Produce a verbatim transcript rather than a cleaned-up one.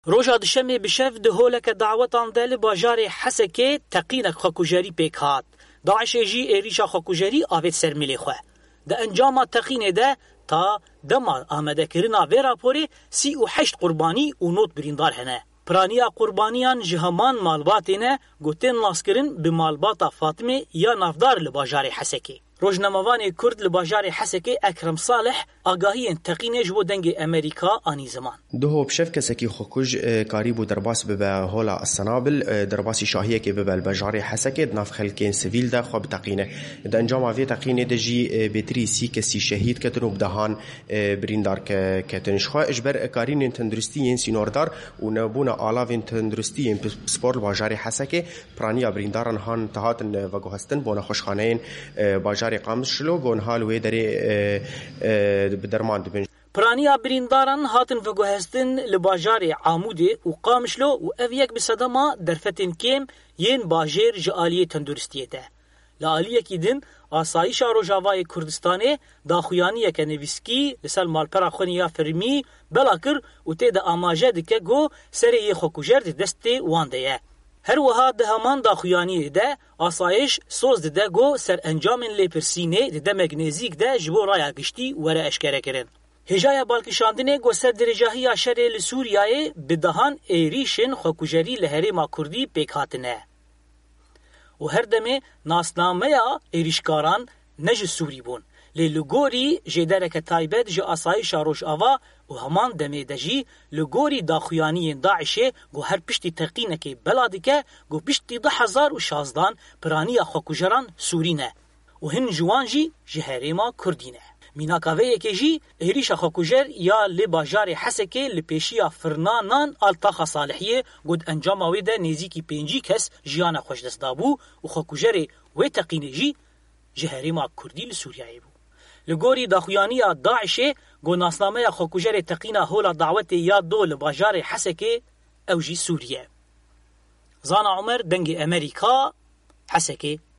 Roja Dişemê bi şev di holeke dawetan de li bajarê Hesekê teqînek xwekujerî pêk hat. DAIŞê jî êrîşa xwekujerî avêt ser milê xwe. Di encama teqînê de ta dema amadekirina vê raporê sî û heşt qurbanî û nod birîndar hene. Piraniya qurbaniyan ji heman malbatê ne ku tên naskirin bi malbata Fatimê ya navdar li bajarê Hesekê. Rojnamevanê Kurd li bajarê Hesekê Ekrem Salih agahiyên teqînê ji bo Dengê Emerîka anî ziman. Duho bi şev kesekî xwekuj, e, karîbû derbas bibe hola Senabil, e, derbasî şahiyekê bibe li bajarê Hesekê di nav xelkên sivîl de xwe biteqîne. Di encama vê teqînê de jî, e, bêtirî sî kesî şehîd ketin û bi dehan, e, birîndar ke-, ketin. Ji xwe ji ber karînên tenduristî yên sînordar û nebûna alavên tenduristî yên pi-, pispor li bajarê Hesekê, piraniya birîndaran han hatin veguhestin bo nexweşxaneyên, e, bajarê Qamişlo, ku niha li wê derê, e, e, bi derman dibin. Piraniya birîndaran hatin veguhestin li bajarê Amûdê û Qamişlo û ev yek bi sedema derfetên kêm yên bajêr ji aliyê tenduristiyê de. Li aliyekî din, Asayîşa Rojavayê Kurdistanê daxuyaniyeke nivîskî li ser malpera xwe ya fermî bela kir û tê de amaje dike ku serê yê xwekujer di destê wan de ye. Her wiha di heman daxuyaniyê de asayîş soz dide ku serencamên lêpirsînê di demek nêzîk de ji bo raya giştî were eşkerekirin. Hêjaya balkişandinê ku serdirêjahiya şerê li Sûriyeyê bi dehan êrîşên xwekujerî li herêma Kurdî pêk hatine. Û her demê nasnameya êrîşkaran ne ji Sûrî bûn. Lê li gorî jêdereke taybet ji Asayîşa Rojava û heman demê de jî li gorî daxuyaniyên DAIŞê ku her piştî teqînekê bela dike ku piştî du hezar û şazdan piraniya xwekujeran Sûrî ne. Û hin ji wan jî ji herêma Kurdî ne. Mînaka vê yekê jî êrîşa xwekujer ya li bajarê Hesekê li pêşiya firna nan a li taxa Salihiyê ku di encama wê de nêzîkî pêncî kes jiyana xwe ji dest dabû û xwekujerê wê teqînê jî ji herêma Kurdî li Sûriyeyê bû. Li gorî daxuyaniya DAIŞê ku nasnameya xwekujerê teqîna hola dawetê ya do li bajarê Hesekê ew jî Sûrî ye. Zana Omer, Dengê Emerîka, Hesekê.